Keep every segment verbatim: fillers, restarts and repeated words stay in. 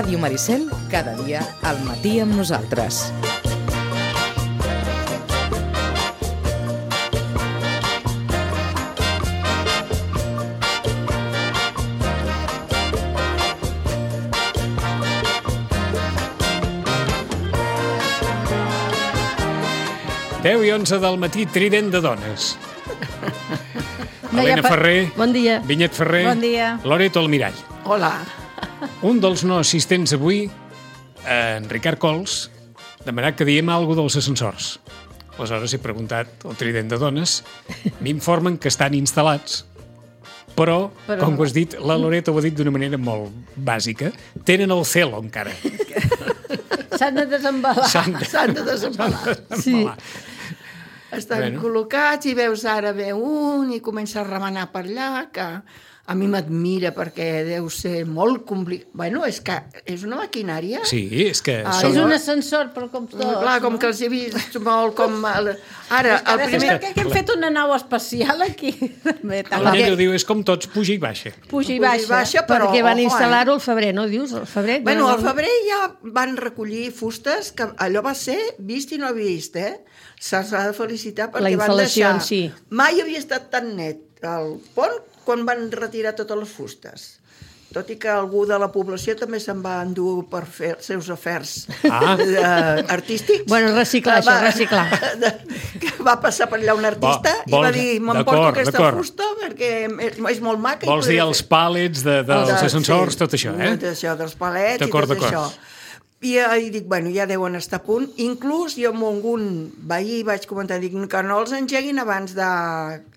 Ràdio Maricel, cada dia al matí amb nosaltres. deu i onze del matí, trident de dones. Helena Ferrer, bon dia. Vinyet Ferrer, bon dia. Loreto Almirall. Hola. Un dels no assistents avui, en Ricard Cols, demanat que diem alguna cosa dels ascensors. Aleshores he preguntat al trident de dones, m'informen que estan instal·lats, però, però, com ho has dit, la Loreto ho ha dit d'una manera molt bàsica, tenen el celo encara. S'han de desembalar. S'han de, S'han de desembalar. Sí. Estan bueno. col·locats i veus ara ve un i comença a remenar per allà, que a mi m'admira perquè deu ser molt complicat. Bueno, és que és una maquinària. Sí, és que... Ah, és un ascensor, però com tots. Clar, com no? que els he vist molt com... El... Ara, el primer... Que, que hem fet una nau espacial aquí. La llengua diu, és com tots, puja i baixa. Puja i baixa, baixa però, perquè van ojo, instal·lar-ho al febrer, no dius? Al febrer, bueno, no... al febrer ja van recollir fustes, que allò va ser vist i no vist, eh? Se'ls ha de felicitar perquè van deixar... Sí. Mai havia estat tan net el pont quan van retirar totes les fustes. Tot i que algú de la població també se'n va endur per fer els seus afers ah. uh, artístics. Bueno, reciclar, va, això, reciclar. De, que va passar per allà un artista va, i va dir, m'emporto aquesta fusta perquè és, és molt maca. Vols dir els pàlets de, dels de, ascensors, sí, tot això, eh? Tot això, dels palets i tot això. I, I dic, bueno, ja deuen estar a punt. Inclús jo amb algun veí vaig comentar, dic, que no els engeguin abans de...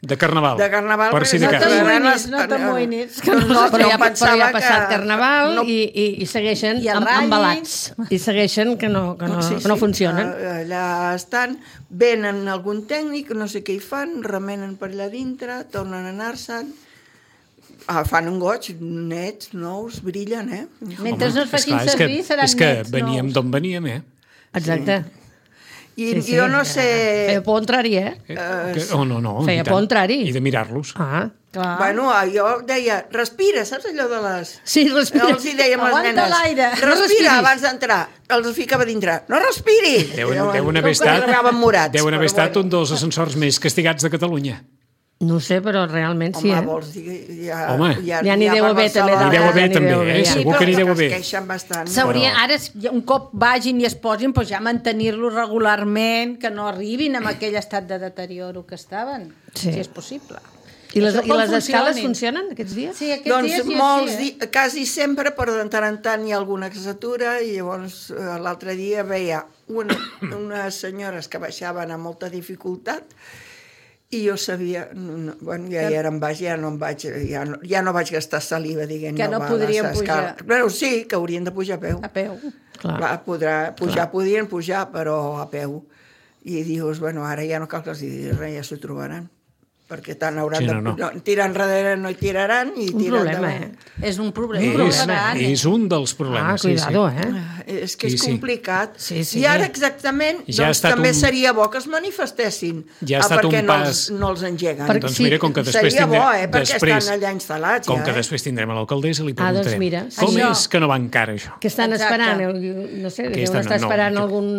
De Carnaval. De Carnaval. Per si de cas. No t'amoïnis, no t'amoïnis. No, però ja, però ja ha passat que... Carnaval no... i, i, i segueixen I amb, embalats. I segueixen que no, que no, sí, que no sí. funcionen. Allà estan, venen algun tècnic, no sé què hi fan, remenen per allà dintre, tornen a anar-se'n. Ah, fan un goig, nets, nous, brillen, eh? Mentre no es facin servir, seran nets, nous. És que veníem d'on veníem, eh? Exacte. I sí, sí. jo no sé... Feia por entrar-hi, eh? Uh, que... Oh, no, no. Feia por entrar-hi. I de mirar-los. Ah, clar. Bueno, jo deia, respira, saps allò de les... Sí, respira. Els hi dèiem a les nenes. Aguanta l'aire. Respira abans d'entrar. Els ficava dintre. No respiri! Deuen, deuen haver estat, deuen haver estat un dels ascensors més castigats de Catalunya. No sé, però realment sí, Home, eh? vols dir... Ja, Home. Ja, ja n'hi deu haver també. N'hi deu haver també, eh? Segur que n'hi deu haver. Es queixen bastant. S'hauria, ara, un cop vagin i es posin, doncs ja mantenir-lo regularment, que no arribin amb aquell estat de deterioro que estaven, sí. si és possible. I les, i les escales funcionen aquests dies? Sí, aquests doncs dies sí, molts, sí, eh? quasi sempre, però de tant en tant hi ha alguna que s'atura i llavors l'altre dia veia una, unes senyores que baixaven amb molta dificultat i jo sabia, no, bueno, ja, ja era en baix, ja no em vaig, ja no, ja no vaig gastar saliva dient que no, no podrien pujar. Però sí, que haurien de pujar a peu. A peu. Clar. Clar, podrà, pujar, Clar. podrien pujar, però a peu. I dius, bueno, ara ja no cal que els diguis res, ja s'ho trobaran. Perquè tant hauran sí, no, no. de... No, tirar enrere no hi tiraran i un tirar problema, endavant. Eh? És un problema. És, un problema és un dels problemes. Ah, cuidado, sí, sí. eh? És que és sí, complicat. Sí, sí, I ara sí. exactament, ja doncs també un... seria bo que es manifestessin. Ja ha estat perquè un pas... no els, no els engeguen. Per... Doncs mira, com que després seria tindrem... bo, eh? Perquè després... estan allà instal·lats. Com ja, que eh? després tindrem a l'alcaldessa, li Ah, doncs preguntarem. mira, com això... és que no va encara, això? Que estan Exacte. esperant, el, no sé, que deuen estar esperant no, algun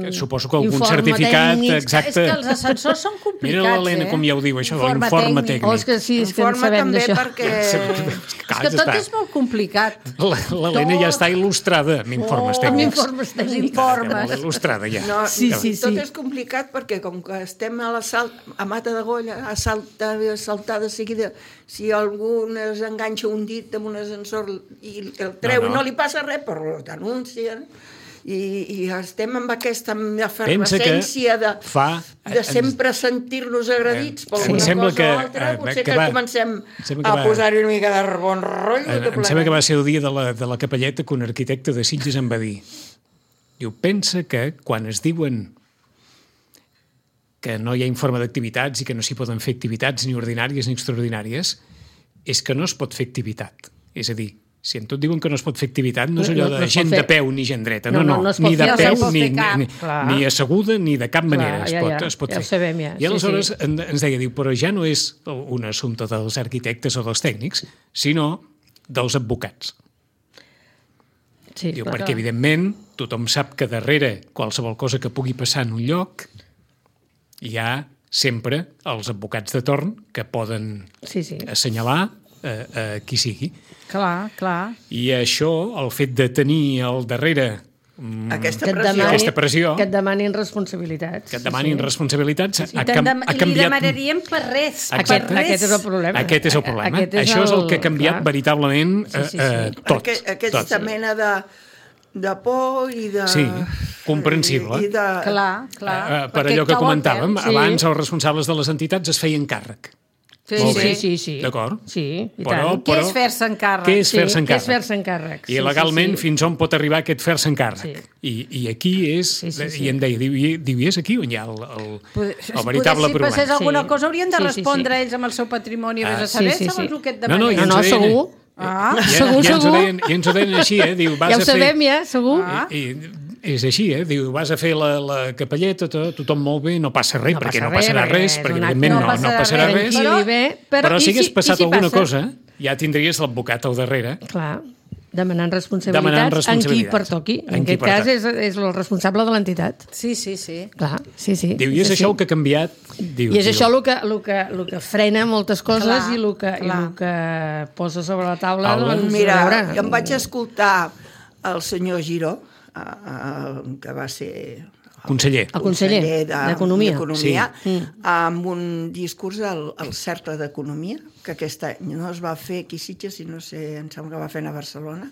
que suposo que algun informe certificat tècnic. exacte. És que els ascensors són complicats, mira l'Helena eh? com ja ho diu, això, informe l'informe tècnic. tècnic. Oh, és que sí, és que en sabem també d'això. perquè... És que tot és molt complicat. L'Helena ja està il·lustrada amb informes tècnics. Amb informes tècnics. Informes. Il·lustrada ja. No, sí, sí, tot sí. és complicat perquè com que estem a la salt, a Mata de Golla, a saltar, a saltar de seguida, si algú es enganxa un dit amb un ascensor i el treu no, no. i no li passa res, però t'anuncien. I, i estem amb aquesta efervescència de, fa, de sempre sentir-nos agredits per alguna cosa que, o altra, eh, potser que, que, va, que comencem que a va, posar-hi una mica de bon rotllo. Em sembla que va ser el dia de la, de la capelleta que un arquitecte de Sitges em va dir. Diu, pensa que quan es diuen que no hi ha informe d'activitats i que no s'hi poden fer activitats ni ordinàries ni extraordinàries, és que no es pot fer activitat. És a dir, si en tot diuen que no es pot fer activitat, no és allò de no, no gent de peu ni gent dreta. No, no, no, no ni de fer, peu, no ni, ni, ni asseguda, ni de cap Clar, manera es ja, pot, ja, es pot ja fer. Sabem, ja. I aleshores sí, sí. ens deia, diu, però ja no és un assumpte dels arquitectes o dels tècnics, sinó dels advocats. Sí, Diu, perquè, evidentment, tothom sap que darrere qualsevol cosa que pugui passar en un lloc hi ha sempre els advocats de torn que poden sí, sí. assenyalar eh, eh, qui sigui. Clar, clar. I això, el fet de tenir al darrere mm, aquesta, pressió. Demani, aquesta pressió... Que et demanin responsabilitats. Que et demanin sí, sí. responsabilitats. Sí, sí. Ha, cam, ha canviat... Li demanaríem per res. Exacte. Per res. Aquest és el problema. Aquest és el problema. Aquest és això el... és el que ha canviat clar. veritablement sí, sí, sí. Eh, tot. Aqu aquesta tot. mena de, de por i de... Sí, comprensible. I, i de... Clar, clar. Eh, per allò que comentàvem, sí. abans els responsables de les entitats es feien càrrec. Sí, sí, sí, sí. D'acord? Sí, i però, tant. Què és fer-se en càrrec? Què és fer-se en sí, càrrec? Què és fer-se en càrrec? I sí, legalment, sí, sí. fins on pot arribar aquest fer-se en càrrec? Sí. I, I aquí és... Sí, sí, sí. I em deia, diu, diu, i és aquí on hi ha el, el, el veritable si problema. Si passés alguna sí. cosa, haurien de sí, sí, respondre sí. ells amb el seu patrimoni, ah, vés a saber, sí, sí, segons sí. el que et demanen. demanen. No, no, no, no segur. Ah, ja, segur, ja segur. Ens deien, ja ens ho deien així, eh? Diu, vas ja ho a fer... sabem, ja, segur. Ah. I, i, és així, eh? Diu, vas a fer la, la capelleta, tot, tothom molt bé, no passa res, no perquè passa no passarà res, res perquè evidentment no, no, no passarà res. Però, però, però si hagués passat si alguna passa? cosa, ja tindries l'advocat al darrere. Clar, demanant responsabilitats, demanant responsabilitats. en qui pertoqui. En, en aquest cas és, és el responsable de l'entitat. Sí, sí, sí. Clar, sí, sí. Diu, i és, és això el que ha canviat? Diu, I és diu. això el que, el, que, el que frena moltes coses clar, i, el que, i el que posa sobre la taula. Doncs, mira, veure... jo em vaig escoltar el senyor Giró, que va ser... Conseller. El conseller, conseller d'Economia. d'Economia sí. amb un discurs al, al Cercle d'Economia, que aquest any no es va fer aquí a Sitges, i no sé, em sembla que va fer a Barcelona.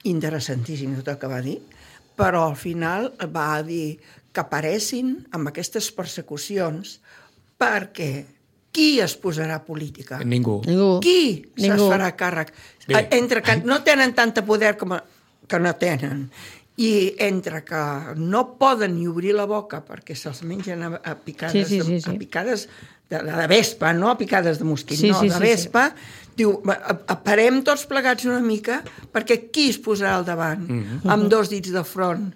Interessantíssim tot el que va dir, però al final va dir que paressin amb aquestes persecucions perquè qui es posarà a política? Ningú. Ningú. Qui Ningú. se'ls farà càrrec? Bé. Entre que no tenen tanta poder com que no tenen, i entre que no poden ni obrir la boca perquè se'ls mengen a, a picades, sí, sí, sí, sí. A picades de, de vespa, no a picades de mosquit, sí, no, sí, de vespa, sí, sí. Diu, parem tots plegats una mica perquè qui es posarà al davant mm-hmm. amb dos dits de front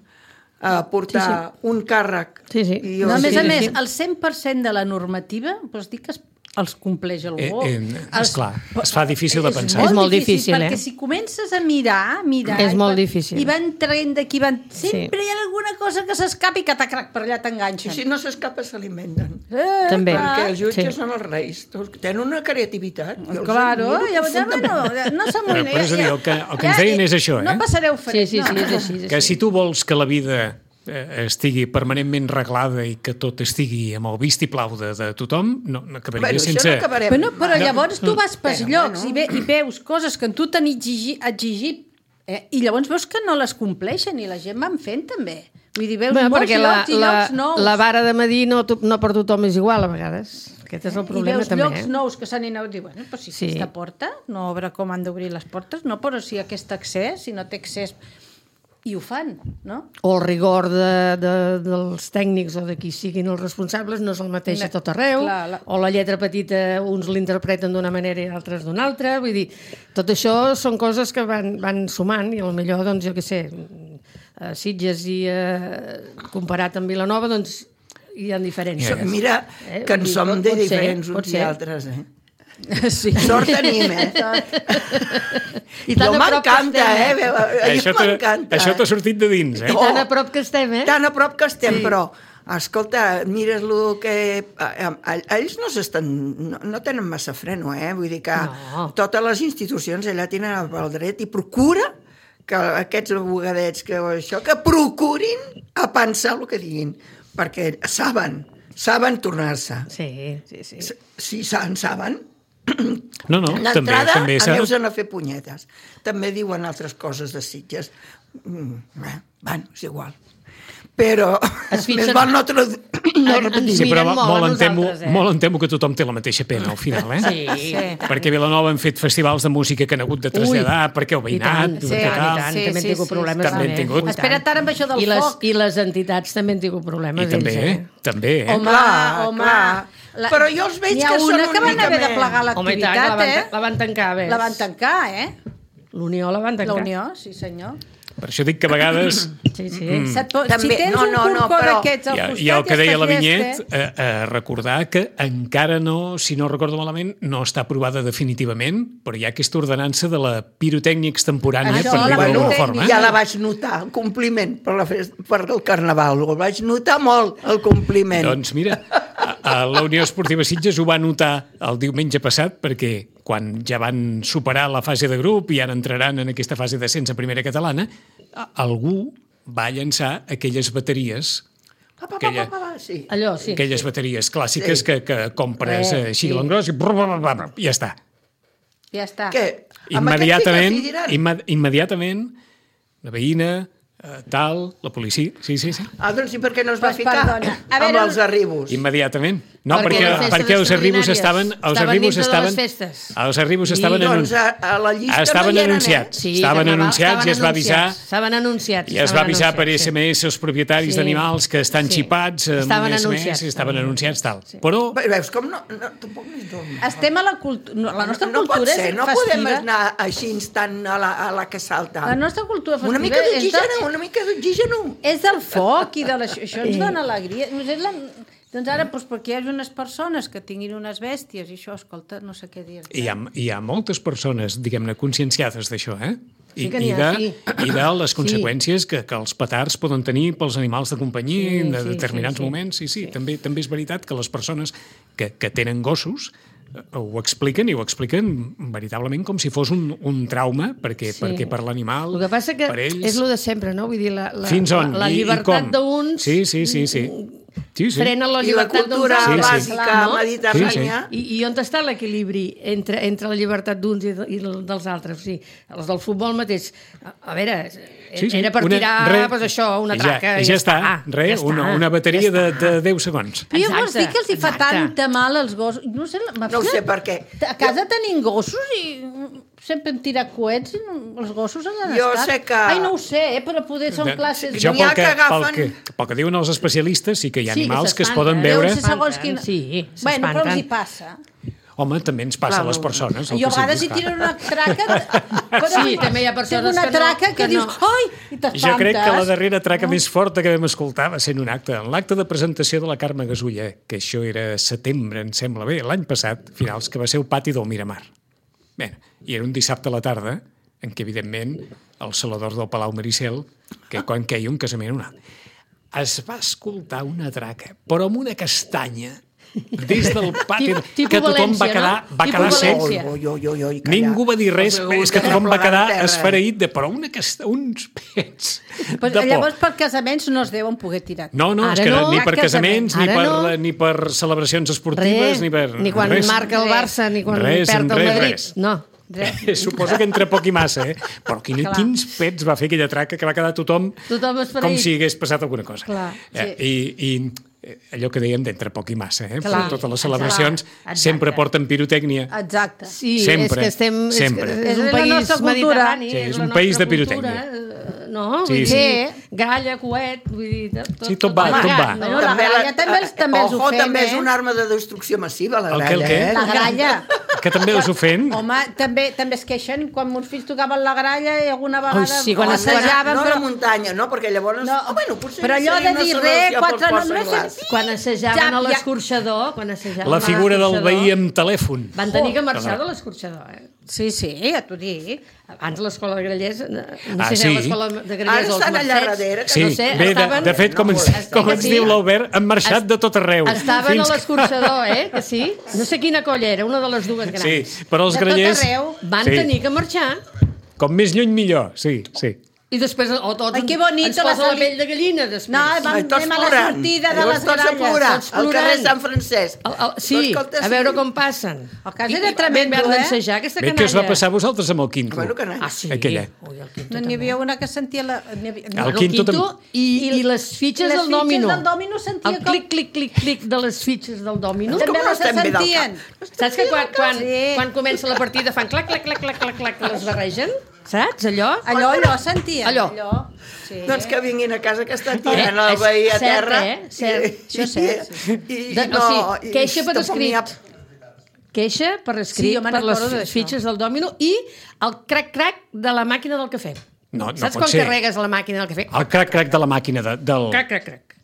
a portar sí, sí. un càrrec. Sí, sí. I jo, no, a més sí, a més, sí. el cent per cent de la normativa, vols dir que es els compleix algú. Eh, eh, esclar, es fa difícil de pensar. És molt difícil, perquè eh? si comences a mirar, mirar... És molt i difícil. I van traient d'aquí, van... Sempre sí. hi ha alguna cosa que s'escapi i que t'acrac per allà t'enganxen. I si no s'escapa, s'alimenten. Eh, També. Perquè els jutges sí. són els reis. Tenen una creativitat. Claro, ja, ja, bueno, no s'amoïnen. Però és a dir, el que, el que ens deien és això, eh? No passareu fred. Sí, sí, sí, no. és així, és així. Que si tu vols que la vida estigui permanentment reglada i que tot estigui amb el vistiplau de, de tothom, no, no acabaria bueno, sense... No acabarem. Bueno, però llavors tu vas pels bueno, llocs bueno. i, ve, i veus coses que tu t'han exigit, exigit eh? I llavors veus que no les compleixen i la gent van fent també. Vull dir, veus bueno, molts llocs la, i llocs nous. La vara de medir no, no per tothom és igual a vegades. Aquest és el problema I veus també. llocs eh? nous que s'han anat i bueno, però si sí. aquesta porta, no veure com han d'obrir les portes, no, però si aquest accés, si no té accés... I ho fan, no? O el rigor de, de, dels tècnics o de qui siguin els responsables no és el mateix a tot arreu, clar, la... o la lletra petita uns l'interpreten d'una manera i altres d'una altra, vull dir, tot això són coses que van, van sumant i potser, doncs, jo què sé, a Sitges i eh, comparat amb Vilanova, doncs hi ha diferències. Yeah. Mira eh? que en dir, som de diferents uns i altres, eh? Sí. Sort tenim, eh? I tan jo m'encanta, eh? Això m'encanta. t'ha sortit de dins, eh? I tan a prop que estem, eh? Tan a prop que estem, sí. Però, escolta, mires el que... Ells no s'estan... No, no tenen massa freno, eh? Vull dir que no. Totes les institucions allà tenen el dret i procura que aquests abogadets que això, que procurin a pensar el que diguin, perquè saben, saben tornar-se. Sí, sí, sí. Si en saben... No, no, també, també a aneu-se'n a fer punyetes. També diuen altres coses de Sitges. Mm, eh, bueno, és igual. Però més val no, no repetir. Sí, però molt, molt, em temo, eh? molt em temo que tothom té la mateixa pena al final, eh? Sí, sí. Perquè a Vilanova han fet festivals de música que han hagut de traslladar, Ui, perquè el veïnat... I tant, sí, i tant, sí, també han tingut problemes. També han tingut. Espera't ara amb això del I les, foc. I les entitats també han tingut problemes. I també, ells, eh? també, eh? Home, clar, home... Clar. La... Però jo els veig que són una que van haver de plegar l'activitat, la van, eh? La van tancar, ves. La van tancar, eh? L'Unió la van tancar. La Unió, sí senyor. Per això dic que a vegades... Sí, sí. Mm. Si tens un corcó d'aquests al costat... I el que deia la Vinyet, eh, eh, recordar que encara no, si no recordo malament, no està aprovada definitivament, però hi ha aquesta ordenança de la pirotècnia extemporània, Això, per dir-ho d'alguna forma. Ja la vaig notar, el compliment per, la fest, per el Carnaval. Ho vaig notar molt, el compliment. Doncs mira, a, a la Unió Esportiva Sitges ho va notar el diumenge passat, perquè quan ja van superar la fase de grup i ara entraran en aquesta fase d'ascens a primera catalana, algú va llançar aquelles bateries Pa, pa, pa, aquella, pa, pa, sí. Allò, sí. aquelles bateries clàssiques Sí. que, que compres Eh, eh, així sí. a l'engròs i brr, brr, brr, brr, ja està. Ja està. Què? Amb Immediatament, aquest sí que s'hi imme immediatament, la veïna, eh, tal, la policia... Sí, sí, sí. Ah, doncs sí, perquè no es va Pues ficar perdona. A veure, amb els arribos. Immediatament. No, Perquè perquè, les festes perquè els arribos estaven... extraordinàries Els estaven arribos dintre de estaven... les festes. Els arribos estaven... Doncs anun- a, a la llista estaven no hi eren, anunciats. eh? Sí, estaven carnaval, anunciats i es va avisar... Estaven anunciats. I es va estaven avisar per anunciats, S M S els propietaris Sí. d'animals que estan Sí. xipats amb Estaven un S M S anunciats. i estaven anunciats, tal. Però Veus com no... no tampoc no és normal. estem a la cultura... No, la nostra no, no cultura pot ser, és no festiva. podem anar així instant a la, a la que salta. La nostra cultura festiva Una mica és d'oxigen, de- una mica d'oxigen. és del foc i de la... Això ens dona alegria. Doncs, és la... doncs ara, doncs, perquè hi hagi unes persones que tinguin unes bèsties i això, escolta, no sé què dir. hi ha, hi ha moltes persones, diguem-ne, conscienciades d'això, eh? I, Sí que n'hi i, ha, de, sí. i de les conseqüències que, que els petards poden tenir pels animals de companyia Sí, en de sí, determinats sí, sí. moments. Sí, sí, sí. També, també és veritat que les persones que, que tenen gossos eh, ho expliquen i ho expliquen veritablement com si fos un, un trauma, perquè, Sí. perquè per l'animal, El que passa que per ells... és el de sempre, no? Vull dir, la, la, Fins on? la, la I- i llibertat com? d'uns Sí, sí, sí, sí. sí, sí. frena la I la llibertat d'uns cultura altres. bàsica no? mediterrània... I, I on està l'equilibri entre, entre la llibertat d'uns i, de, i dels altres? O sigui, els del futbol mateix, a, a veure, Sí, sí. era per Una- tirar re- pues això, una ja, traca ja, i ja, ja està, està. res, ja una, està, una bateria ja de, està. de deu segons. Però jo vols Exacte, dir que els hi fa exacte. tanta mal als gossos? No sé, No ho sé per què. A casa tenim gossos i sempre hem tirat coets i no- els gossos han Jo estat. sé que- Ai, no ho sé, eh, però poder són classes... Jo, N'hi ha pel que, que pel, agafen- que, pel que diuen els especialistes, sí que hi ha Sí, que animals que es s'espanten, poden eh? veure... Deu ser segons quin... Sí, Bueno, però els hi s'espanten. passa. Home, també ens passa Clar, a les no. persones. el Jo a que vegades hi sigui, tiro clar. una traca... Però Sí, també hi ha persones una que no- traca que, que dius... no. Ai! I t'espantes. Jo crec que la darrera traca més forta que vam escoltar va ser en un acte, en l'acte de presentació de la Carme Gasulla, que això era setembre, em sembla bé, l'any passat, finals, que va ser el pati del Miramar. Bé, i era un dissabte a la tarda, en què, evidentment, el salador del Palau Maricel, que quan queia un casament o un altre, es va escoltar una traca, però amb una castanya, des del pati, Tipo- tipo que tothom va València, quedar, no? va Tipo quedar sec. València. Oi, oi, oi, oi, calla. Ningú va dir res, Els és que ulls tothom va replegant quedar terra. esfereït de però una casta, uns pets Però de por. llavors per casaments no es deuen poder tirar. No, no, és Ara que no. ni per Cap casaments, ni Ara per, no. ni per celebracions esportives, Res, ni per... ni quan res. marca el Barça, ni quan Res, perd el res, Madrid. res. No. Suposo que entre poc i massa, eh? Però quin, Clar. quins pets va fer aquella traca que va quedar tothom, Tothom esfereït. com si hagués passat alguna cosa. Clar, eh, I, I eh, allò que dèiem d'entre poc i massa, eh? Clar, Totes les celebracions exacte. sempre porten pirotècnia. Exacte. Sí, Sempre, és que estem... sempre. És, que és És un la país nostra cultura. mediterrani. Sí, és la un país nostra de pirotècnia. cultura, eh, No? Sí, Vull sí. dir, gralla, coet, vull dir... Tot, Sí, tot va, tot va. No? Bueno, la gralla també els- també els ho Ojo, fem, també és eh? una arma de destrucció massiva, la El què, el gralla, què? eh? La gralla. Que també els ofèn. Home, també també es queixen quan meus fills tocaven la gralla i alguna vegada Ui, sí, quan assajaven, no a però... la muntanya, no? Perquè llavors... No, oh, bueno, potser però allò seria de una dir solució res, pel quatre porc només... senglars. Quan assajaven Ja, a ja. l'escorxador, quan assajaven La figura a del l'escorxador, veí amb telèfon. van tenir que marxar de l'escorxador, eh? Sí, sí, ja t'ho dic. Abans l'escola de Grallers, no Ah, sé si sí? era l'escola de Grallers Ara o els estan allà Mercets, darrere, que Sí, no sé, bé, de, estaven... de fet, com ens, No, com que ens sí. diu l'Albert, han marxat de tot arreu. Estaven Fins a que- l'escorxador, eh? Que sí? No sé quina colla era, una de les dues grans. Sí, però els De tot grallers... arreu. Van Sí. tenir que marxar Com més lluny millor, sí, sí. i després o tot Ai, que bonito ens posa la la sali- pell de gallina després. No, vam- Ai, tots anem a la plorant. sortida de Llavors les tots a gralles, plorar, tots al carrer plorant. Sant Francesc. El, el, sí, Però escolta, a veure sí. com passen. El cas I- era i tremendo, vam eh? d'ensejar aquesta Bé, canalla. què us va passar a vosaltres amb el quinto? Bueno, canalla. Ah, sí? Aquella. Ui, el quinto No, n'hi també. havia una que sentia la... n'hi havia- El El quinto quinto, tam- i, i les fitxes les del fitxes dòmino. del dòmino sentia el com- clic, clic, clic, clic de les fitxes del dòmino. Com També no les estem bé del sentien. cap? Saps que quan, quan, Sí. quan comença la partida fan clac, clac, clac, clac, clac, clac, que les barregen? Saps, allò? Allò, allò sentia. Allò. allò. Sí. Doncs que vinguin a casa que estan Eh, tirant el és veí a cert, terra. eh? Cert. Això és cert, I, i, De, no, o sigui, i queixa per tampoc n'hi ha- escrit. Queixa per Sí, escrit jo me'n per les recordo d'això. fitxes del dòmino i el crac-crac de la màquina del cafè. No, no Saps pot quan ser. carregues la màquina del cafè? El crac-crac de la màquina de, del... Crac, crac, crac.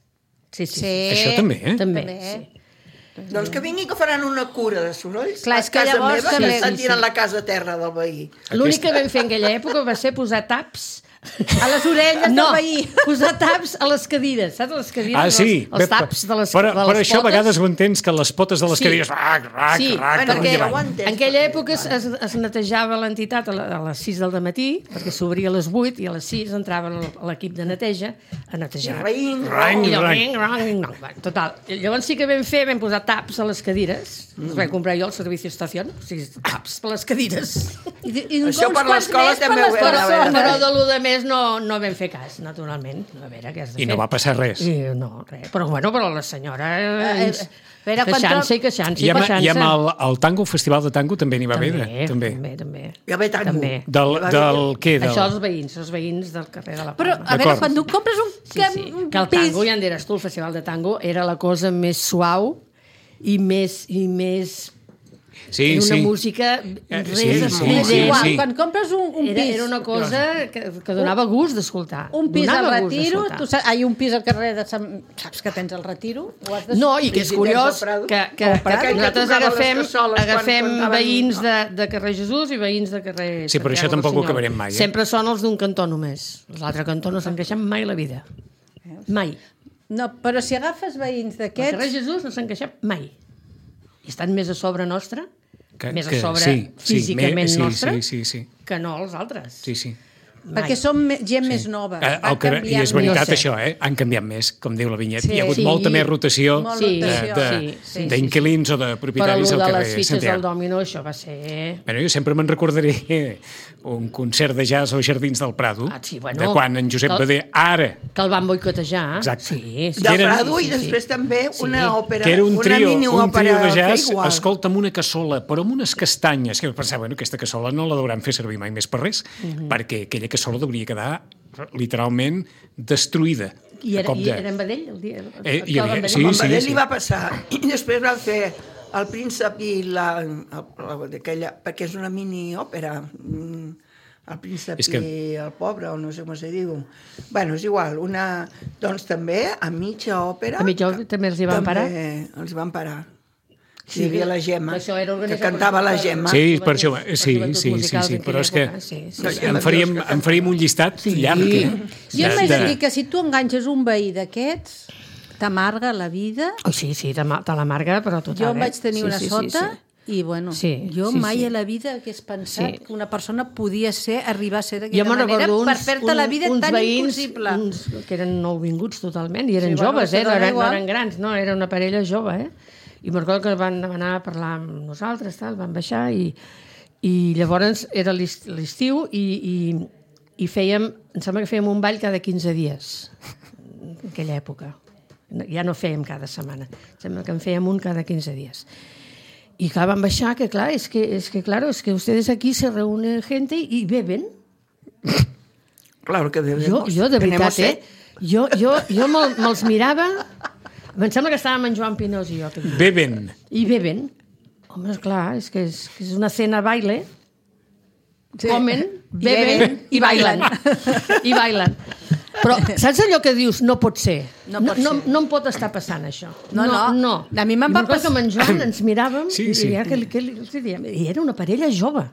Sí, sí. Sí. Això també, eh? També, També. sí. Doncs que vingui que faran una cura de sorolls Clar, a és que casa llavors meva, també- que estan sí, sí. tirant la casa a terra del veí. L'únic que vam fer en aquella època va ser posar taps A les orelles no, del veí. posar taps a les cadires, saps? Les cadires, Ah, sí. els, els taps de les, per, de les per això a potes. vegades ho entens, que les potes de les Sí. cadires... Rac, rac, Sí, rac, bueno, amunt i perquè avall. aguantes, en aquella perquè, època es, es, es netejava l'entitat a, la- a les sis del matí, perquè s'obria a les vuit i a les sis entrava l- l'equip de neteja a netejar. Raïng, Rang, I allò, rang. ring, rang, ring, rang. Va, total. I llavors sí que vam fer, vam posar taps a les cadires. Mm. Els vaig comprar jo al Servici Estació, o sigui, taps per les cadires. I, i Això uns per quants l'escola més per també ho les hem Però, a veure. persones. però de lo de més no, no vam fer cas, naturalment. A veure què has de I fer. no va passar res. I, no, res. Però bueno, però la senyora Eh, eh, eh, veure, quan queixant-se tro- i queixant-se I i amb, queixant-se. i amb el, el tango, el festival de tango també n'hi va haver. també, També. també, també. Ja ve tango. També. Del, del què? Del... Això els veïns, els veïns del carrer de la Però, Palma. a veure, D'acord. quan tu compres un, Sí, sí. un Que el pis... tango, ja en diràs tu, el festival de tango, era la cosa més suau i més, i més Sí, era una sí. música Eh, res sí, sí, estrident. sí, Igual, sí. quan compres un, un Era, pis... era una cosa que, que donava gust d'escoltar. Un pis al Donava gust Retiro, d'escoltar. tu saps, hi ha un pis al carrer de Sant... Saps que tens el Retiro? Ho has de... No, i que és Si tens curiós el Prado. que, que, El Prado, que que nosaltres tocava les agafem, cassoles quan agafem contaven- veïns de, de carrer Jesús i veïns de carrer Sí, però això Santiago tampoc ho Rossinyol. acabarem mai, eh? Sempre són els d'un cantó només. L'altre cantó no s'han queixat mai a la vida. Mai. No, però si agafes veïns El carrer d'aquests... Jesús no s'han queixat mai. I estan més a sobre nostra, Que- més que- a sobre sí, sí, físicament me- sí, nostra, sí, sí, sí. que no els altres. Sí, sí. Mai. Perquè som me- gent més nova. Eh, Va el que, I canviant és veritat No sé. això, eh? Han canviat més, com diu la vinyeta. Sí. Hi ha hagut Sí. molta més rotació Molt Sí, de- rotació. de- sí, sí, sí, d'inquilins o de Però propietaris el al de carrer les fitxes del Santiago. Domino, això va ser... Bueno, jo sempre me'n recordaré un concert de jazz als Jardins del Prado, Ah, sí, bueno, de quan en Josep que- Bader, ara, Que el van boicotejar. Exacte. Sí, sí. De eren- Prado i sí, sí. després també una òpera, que era un una trio, un mini-òpera trio de que jazz, igual. escolta, amb una cassola, però amb unes castanyes, que jo pensava, bueno, aquesta cassola no la deuran fer servir mai més per res, Mhm. perquè aquella cassola hauria quedar literalment destruïda. I a era, cop i de- era en Badell? El dia, Eh, el hi havia- Badell? sí, Amb sí, Badell sí. li va passar. I després van fer El príncep i la... el- el- d'aquella, perquè és una mini-òpera. mm, El príncep És que- i el pobre, o no sé com se diu. Bueno, és igual. Una, doncs també, a mitja òpera... A mitja òpera també els hi van parar? També els hi van parar. Sí, Hi havia la Gemma, que això era que organitzat cantava per- la per- Gemma. Sí, per per això, joventuts- sí, per sí, sí, musicals sí, en però és que aquella època, sí, sí. No, en Gemma faríem, Dios, que en faríem un llistat llarg. eh? Jo De- m'haig de de- dir que si tu enganxes un veí d'aquests, t'amarga la vida. Oh, sí, sí, te, ma- te l'amarga, però total. Jo en eh? vaig tenir Sí, una sí, sí, sota sí. i, bueno, Sí, jo sí, mai sí. a la vida hagués pensat Sí. que una persona podia ser, arribar a ser Jo d'aquella me'n manera recordo uns, per fer-te la vida uns tan veïns, impossible. Uns que eren nouvinguts totalment, i eren Sí, bueno, joves, això eh? no, dona eren, no igual. eren grans, no, era una parella jove, eh? I me'n recordo que van anar a parlar amb nosaltres, tal, van baixar, i, i llavors era l'est- l'estiu, i, i, i fèiem, em sembla que fèiem un ball cada quinze dies, en aquella època. Ja no fèiem cada setmana, em sembla que en fèiem un cada quinze dies. Y claro, van baixar, que claro, es que, es que claro, es que ustedes aquí se reúnen gente y beben. Claro que bebemos. Jo, jo de Tenemos veritat, sed. eh? Jo, jo, jo me'l- me'ls mirava, em sembla que estàvem en Joan Pinós i jo. aquell dia. Beben. I beben. Home, esclar, és que és, que és una cena baile. Sí. Comen, I beben beben i bailen. I bailen. Però saps allò que dius, no pot ser? No No, pot no, ser. no em pot estar passant això. No, no. no. A mi me'n I va me'n recordo pas- que amb en Joan ens miràvem Sí, i sí. deia que, que, que, que diem, i era una parella jove.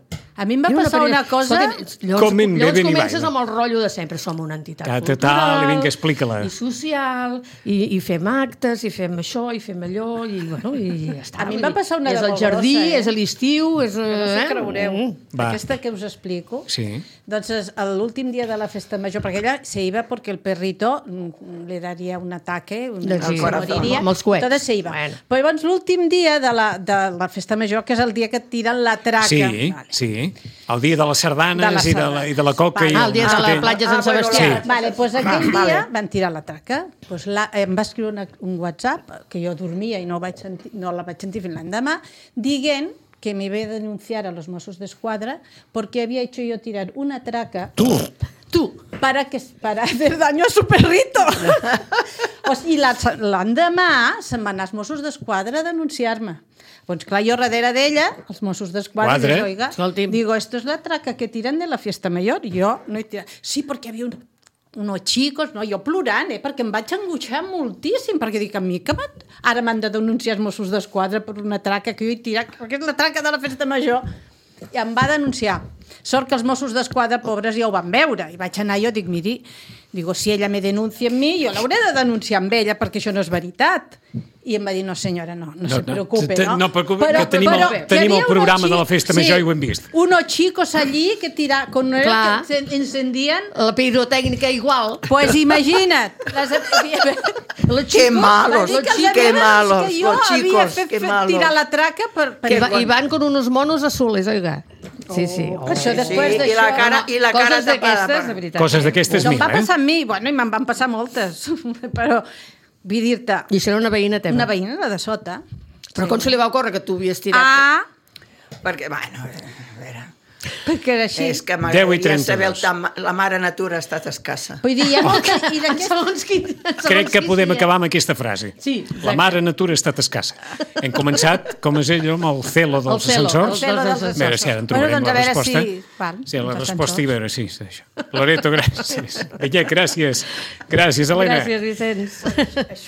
A mi em va Era passar parella- una cosa... Escolta, llavors, Comen, llavors beben i comences bailen. amb el rotllo de sempre. Som una entitat Ta, ta, ta, cultural, vinga, explica-la. i social, i, i fem actes, i fem això, i fem allò, i, bueno, i ja està. A mi em Vull va dir, passar una és de el molt jardí, grossa, eh? és a l'estiu, és... Que no s'ho eh? creureu. Mm. Va. Aquesta que us explico. Sí. Doncs es- l'últim dia de la festa major, perquè ella se iba porque el perrito mm, le daría un ataque, un, Doncs sí, se moriria. amb els coets. Entonces se iba. Bueno. Però llavors l'últim dia de la, de la festa major, que és el dia que et tiren la traca. Sí, Vale. sí. El dia de les sardanes De les i, de la, i de la coca. Vale. I Ah, el dia de la mosquetell. platja Sant Ah, bueno, Sebastià. Sí. Vale, doncs aquell Va, dia vale. van tirar la traca. Pues la, em va escriure una, un WhatsApp, que jo dormia i no, vaig sentir, no la vaig sentir fins l'endemà, dient que me iba a denunciar a los Mossos d'Esquadra porque había hecho yo tirar una traca. Tu? Tu. Para, que, para hacer daño a su perrito. O sigui, l'endemà se'n van anar els Mossos d'Esquadra a denunciar-me. Doncs clar, jo darrere d'ella, els Mossos d'Esquadra, dic, oiga, digo, esto es la traca que tiran de la fiesta mayor. Jo no he tirat. Sí, perquè hi havia un, unos chicos, no, jo plorant, eh, perquè em vaig angoixar moltíssim, perquè dic, a mi que ara m'han de denunciar els Mossos d'Esquadra per una traca que jo he tirat, perquè és la traca de la festa major. I em va denunciar. Sort que els Mossos d'Esquadra, pobres, ja ho van veure. I vaig anar jo, dic, miri, digo, si ella me denuncia a mi, jo l'hauré de denunciar amb ella, perquè això no és veritat. I em va dir, no senyora, no, no, no se preocupe, no? No, preocupe, però, que tenim, però, el, tenim el programa de la festa major sí, i ho hem vist. Unos chicos allí que tira, con el que se encendien... La pirotècnica igual. Pues imagina't. Les, los chicos, qué malos, los chicos, qué malos, que jo los chicos, havia fet, qué fet malos. Tirar la traca per... per I, va, I van con unos monos azules, oiga. Sí, sí. Oh, això després sí, d'això... I la cara, i la cara coses d'aquestes, de veritat. Coses d'aquestes no mil, eh? No em va passar a mi, bueno, i me'n van passar moltes, però vull dir-te... I això era una veïna teva? Una veïna, la de sota. Però sí. Com se li va ocórrer que tu havies tirat? Ah! Perquè, bueno, a veure... Perquè era així. És que m'agradaria saber el tam... la mare natura ha estat escassa. Vull dir, hi ha molta... I segons qui, segons Crec que podem sí, acabar amb aquesta frase. Sí, la mare natura ha estat escassa. Hem començat, com és ell, amb el celo dels el celo, ascensors. El celo dels ascensors. A veure si ara en trobarem bueno, doncs, la resposta. Si, val, sí, la resposta i veure, sí, és això. Loreto, gràcies. Beñat, gràcies. Gràcies, Helena. Gràcies, Vicenç.